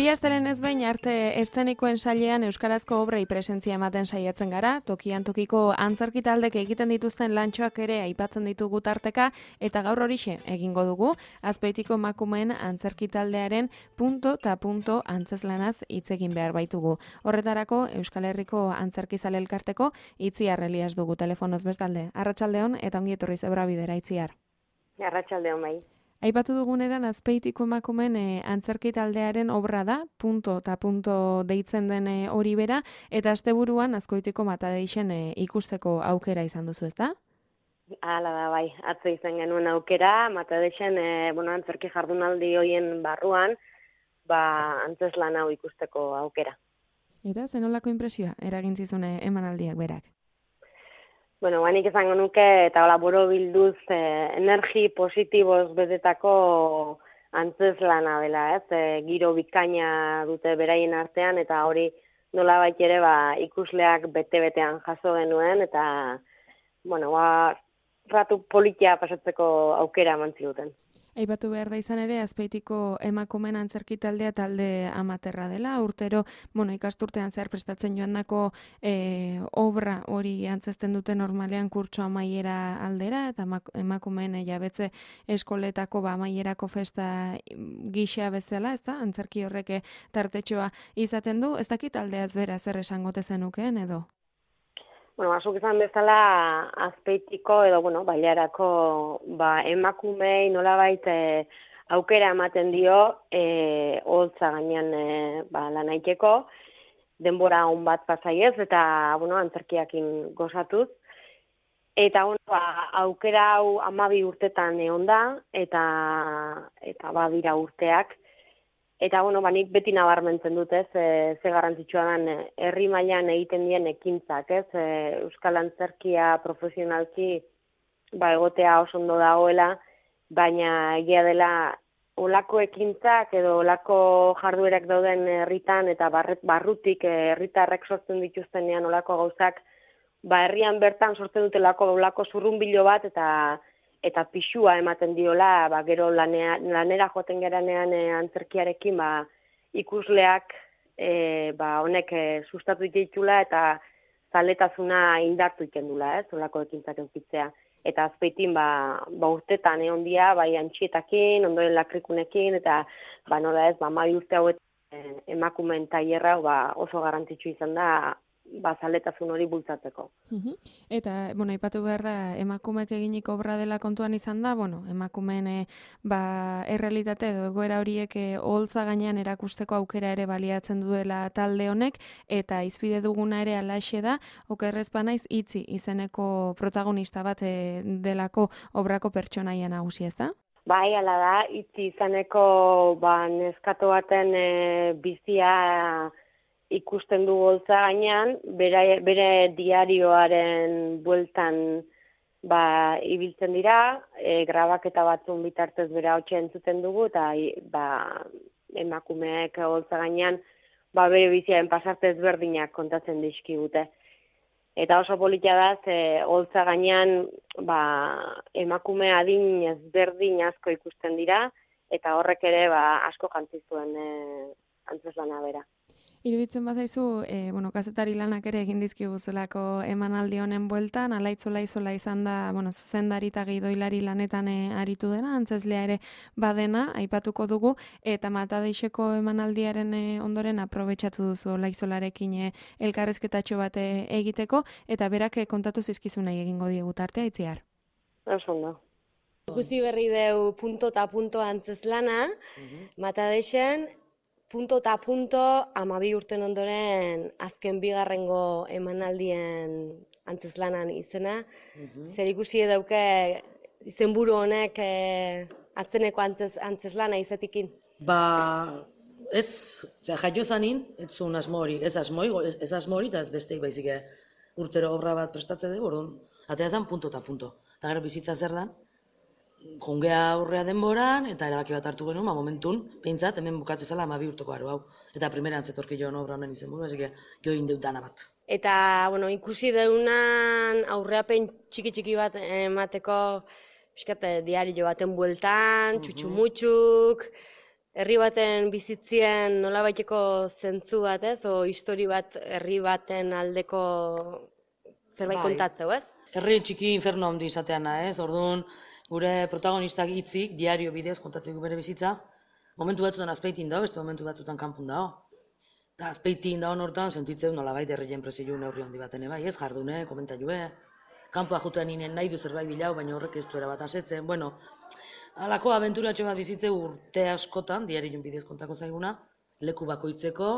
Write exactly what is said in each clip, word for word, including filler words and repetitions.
Bi asteren ez behin arte eszenikoen sailean euskarazko obrei presentzia ematen saiatzen gara, tokian tokiko antzerki taldek egiten dituzten lantxoak ere aipatzen ditugu tarteka, eta gaur horixe egingo dugu, Azpeitiko emakumeen antzerki taldearen punto ta punto antzezlanaz hitz egin behar baitugu. Horretarako Euskal Herriko Antzerkizale Elkarteko Itziar Elias dugu telefonoz bestalde. Arratsaldeon eta ongi etorri Zebrabidera, Itziar. Arratsaldeon bai. Aipatu duguneran Azpeitiko emakumeen e, antzerki taldearen obra da, punto ta punto deitzen den e, hori bera, eta asteburuan Azkoitiko Matadeixen e, ikusteko aukera izan duzu, ezta? Hala da bai, atzo izan genuen aukera, Matadeixen e, bueno, antzerki jardunaldi hoien barruan, ba, antzeslan hau ikusteko aukera. Eta zenolako inpresioa eragin zizune emanaldiak berak? Bueno, banik izango nuke, eta hola boro bilduz, eh, energi positiboz betetako antzeslana dela, ez? E, giro bikaina dute beraien artean, eta hori nolabait ere ba, ikusleak bete-betean jaso genuen, eta, bueno, ba, ratu politia pasatzeko aukera eman ziguten. Aipatu behar da izan ere, Azpeitiko emakumeen antzerki taldea talde amaterra dela, urtero, bueno, ikasturtean zehar prestatzen joandako e, obra hori antzesten dute normalean kurtso amaiera aldera, eta emakumeen jabetze eskoletako ba, amaierako festa gisa bezala, ez da, antzerki horrek tartetxoa izaten du, ez dakit taldeaz bera zer esangote zenukeen edo? Bueno, azuk izan bezala Azpeitiko edo, bueno, bailarako ba, emakumei nolabait e, aukera ematen dio e, holtza gainean e, ba, lanaiteko, denbora on bat pasaiez eta, bueno, antzerkiakin gozatuz. Eta, bueno, ba, aukera hau hamabi urtetan egon da, eta, eta badira urteak. Eta, bueno, ba, nik beti nabarmentzen dut, ez, e, ze garrantzitsua den herri mailan egiten dien ekintzak, ez, e, euskal antzerkia profesionalki ba, egotea oso ondo dagoela, baina egia dela olako ekintzak edo olako jarduerak dauden herritan eta barret, barrutik herritarrek sortzen dituztenean olako gauzak, ba, herrian bertan sortzen dutelako olako zurrunbilo bat eta eta pixua ematen diola, ba, gero lanea, lanera joaten geranean e, antzerkiarekin ba, ikusleak e, ba, honek e, sustatu ditula eta zaletasuna indartu ikendula, ez, olako ekintzak eukitzea. Eta Azpeitin ba, ba urtetan egon dia, bai antxietakin, ondoren lakrikunekin, eta ba, nola ez, ba, mai urte hauet e, emakumeen tailerra ba, oso garrantzitsu izan da, ba, zaletasun hori bultzatzeko. Uh-huh. Eta, bueno, aipatu behar da, emakumeek eginik obra dela kontuan izan da, bueno, emakumeen e, ba, errealitate edo egoera horiek e, oholtza gainean erakusteko aukera ere baliatzen duela talde honek, eta izpide duguna ere alaxe da, okerrez banaiz Itzi izeneko protagonista bat e, delako obrako pertsonaia nagusi, ez da? Bai, hala da, Itzi izaneko ba, neskato baten e, bizia ikusten du holtza gainean, bere, bere diarioaren bueltan ba, ibiltzen dira, e, grabaketa batzun bitartez bere hautsa entzuten dugu, eta ba, emakumeek holtza gainean ba, bere biziaren pasarte ezberdinak kontatzen dizkigute. Eta oso politia da, ze holtza gainean ba, emakume adin ezberdin asko ikusten dira, eta horrek ere ba, asko jantzizuen e, antzeslana bera. Iruditzen bazaizu, e, bueno, kazetari lanak ere egin dizkiguzelako emanaldi honen bueltan, alaitzola izola izan da, bueno, zuzendari eta gidoilari lanetan e, aritu dena, antzezlea ere badena, aipatuko dugu, eta Matadeixeko emanaldiaren e, ondoren aprobetxatu duzu olaizolarekin e, elkarrezketatxo bat e, egiteko, eta berak e, kontatu zizkizunei egingo diegu tartea, Itziar. Oso ondo. Ikusi berri deu punto ta punto antzeslana, uh-huh. Matadeixen, punto ta punto hamabi urten ondoren azken bigarrengo emanaldien antzeslanan izena. Uh-huh. Zer ikusi dauke izenburu honek e, atzeneko antzez, antzeslana izatikin? Ba, ez, zera, jaio zanin, ez zuen asmo hori, ez asmo hori, ez, ez asmo hori, eta ez besteik baizik urtero obra bat prestatze dugu, orduan, atea zen punto eta punto. Eta gero bizitza zer da, jungea aurrea denboran, eta erabaki bat hartu genuen, ba, momentun, behintzat, hemen bukatze zela hamabi urteko aro hau. Eta primeran zetorki joan obra honen izen buru, esik jo indeut dana bat. Eta, bueno, ikusi deunan aurreapen txiki-txiki bat emateko, pixkat, diario baten bueltan, txutxumutxuk, herri baten bizitzien nolabaiteko zentzu bat, ez? O histori bat herri baten aldeko zerbait Bai. kontatzeu, ez? Herri txiki inferno handi izateana, ez? Orduan, gure protagonistak hitzik, diario bidez kontatzeko bere bizitza, momentu batzutan azpeitin dago, beste momentu batzutan kanpun dago. Eta azpeitin dago hortan, sentitzeu nolabait herrien presilu neurri handi baten, bai, ez? Jardune, komentaiue, kanpoa jutean inen nahi du zerbait bilau, baina horrek ez du erabat asetzen, bueno, halako abenturatxo bat bizitzeu urte askotan, diarion bidez kontako zaiguna, leku bakoitzeko,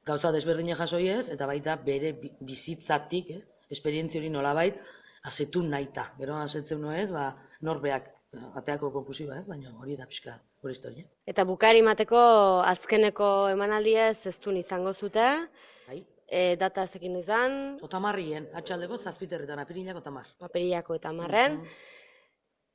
gauza desberdina jasoiez, eta baita bere bizitzatik, ez? Esperientzia hori nolabait, asetu nahita. Gero asetzen nuez, ba, norbeak ateako konkusiba, ez? Baina hori da pixka gure historia. Eta bukari mateko azkeneko emanaldiez ez duen izango zute, Bai? e, data ez ekin du izan, Otamarrien, atxaldeko zazpiterretan, apirilak otamar. paperilako eta marren,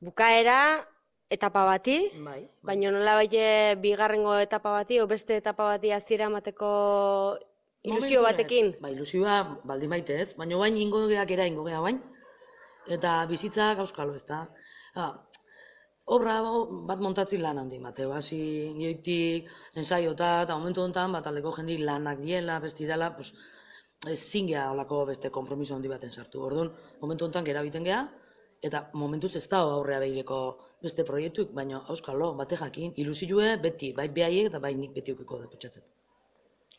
bukaera etapa bati, Bai, bai. baina nolabait bigarrengo etapa bati, o beste etapa bati hasiera emateko ilusio Momentuz batekin. ez. Ba, ilusioa baldin baite ez, baina bain ingo geak era ingo gea bain, eta bizitza gauskalo ez da. Ha, obra bat montatzi lan handi mateo, hasi gioitik, ensaiota, eta momentu honetan, bat aldeko jendi lanak diela, besti dela, pues, ezin gea olako beste konpromiso handi baten sartu. Orduan, momentu honetan gera biten gea, eta momentuz ez da aurrea behireko beste proiektuik, baina auskalo, bate jakin, ilusioe beti, bai behaiek eta bai nik beti ukiko da pentsatzen.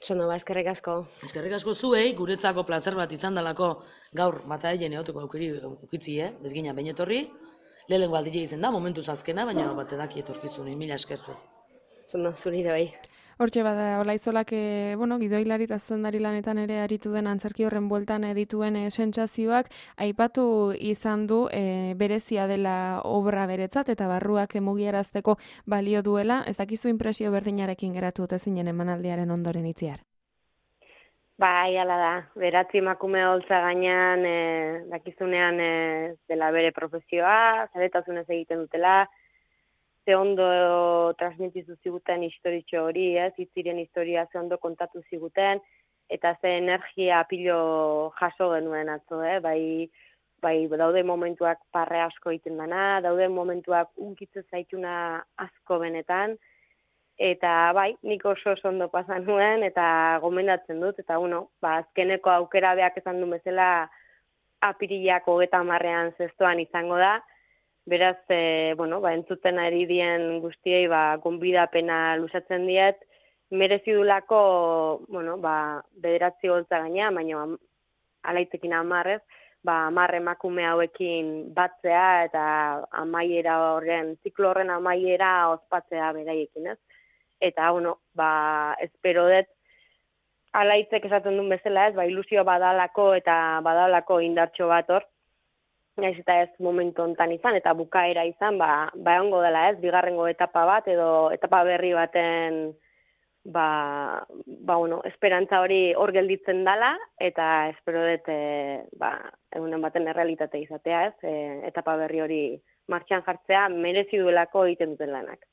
Sono, ba, eskerrik asko. Eskerrik asko zuei, guretzako plazer bat izan dalako gaur mataien eoteko aukeri ukitzi, eh? Bezgina bain etorri, lehenengo aldile izen da, momentuz azkena, baina bat edaki etorkizun, mila esker zuei. Sono, zurire bai. Hortxe bada, Olaizolak, e, bueno, gidoilari eta zuzendari lanetan ere aritu den antzerki horren bueltan dituen e, sentsazioak aipatu izan du e, berezia dela obra beretzat eta barruak mugiarazteko balio duela. Ez dakizu inpresio berdinarekin geratu dute zinen emanaldiaren ondoren itziar? Bai, hala da. Beratzi emakume holtza gainean, e, dakizunean e, dela bere profesioa, zaretasunez egiten dutela, ze ondo transmitizu ziguten historitxo hori, ez, itziren historia ze ondo kontatu ziguten, eta ze energia pilo jaso genuen atzo, eh? bai, bai daude momentuak parre asko egiten dana, daude momentuak unkitze zaituna asko benetan, eta bai, nik oso oso ondo pasan nuen, eta gomendatzen dut, eta uno, ba, azkeneko aukera beak esan du bezala apirilak hogeta hamarrean zestoan izango da. Beraz, e, bueno, ba, entzuten ari dien guztiei ba, gonbidapena luzatzen diet, merezi dulako, bueno, ba, bederatzi holtza gaina, baina alaitekin amarrez, ba, amar emakume hauekin batzea eta amaiera horren, ziklo horren amaiera ospatzea beraiekin, ez? Eta, bueno, ba, espero dut, alaitzek esaten duen bezala, ez, ba, ilusio badalako eta badalako indartxo bat hor, naiz eta ez momentu hontan izan, eta bukaera izan, ba, ba ongo dela ez, bigarrengo etapa bat, edo etapa berri baten, ba, ba bueno, esperantza hori hor gelditzen dela, eta espero dut, e, ba, egunen baten errealitate izatea ez, e, etapa berri hori martxan jartzea, merezi duelako egiten duten lanak.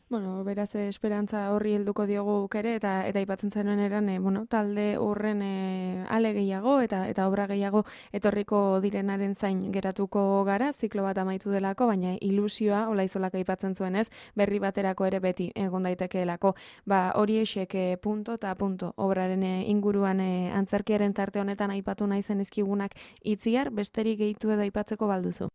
Bueno, beraz, esperantza horri helduko diogu ere, eta eta aipatzen zenuen eran, e, bueno, talde horren e, ale gehiago eta eta obra gehiago etorriko direnaren zain geratuko gara, ziklo bat amaitu delako, baina ilusioa, Olaizolak aipatzen zuenez, berri baterako ere beti egon daitekeelako. Ba, hori esek e, punto eta punto obraren e, inguruan e, antzerkiaren tarte honetan aipatu nahi zen ezkigunak itziar, besterik gehitu edo aipatzeko balduzu.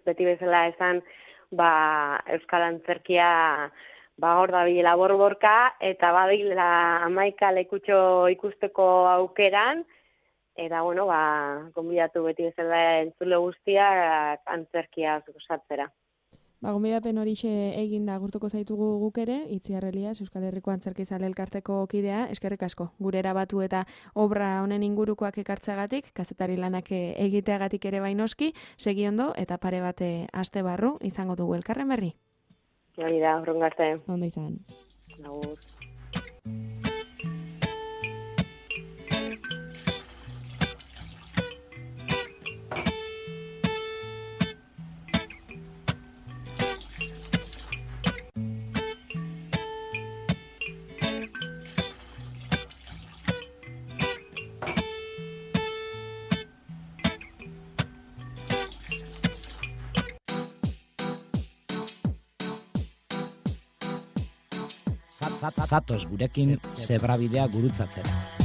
Beti bezala esan, ba, Euskal Antzerkia ba, hor da bilela borborka, eta badila hamaika lekutxo ikusteko aukeran, eta, bueno, ba, gonbidatu beti bezala entzule guztiak antzerkia osatzera. Ba, gonbidapen horixe egin da gurtuko zaitugu guk ere, Itziar Elias, Euskal Herriko Antzerkizale elkarteko kidea, eskerrik asko. Gure erabatu eta obra honen ingurukoak ekartzeagatik, kazetari lanak egiteagatik ere bainoski, segi ondo eta pare bate aste barru izango dugu elkarren berri. Hori da, urrungo arte. Ondo izan. Agur. Zatoz gurekin zebrabidea gurutzatzera.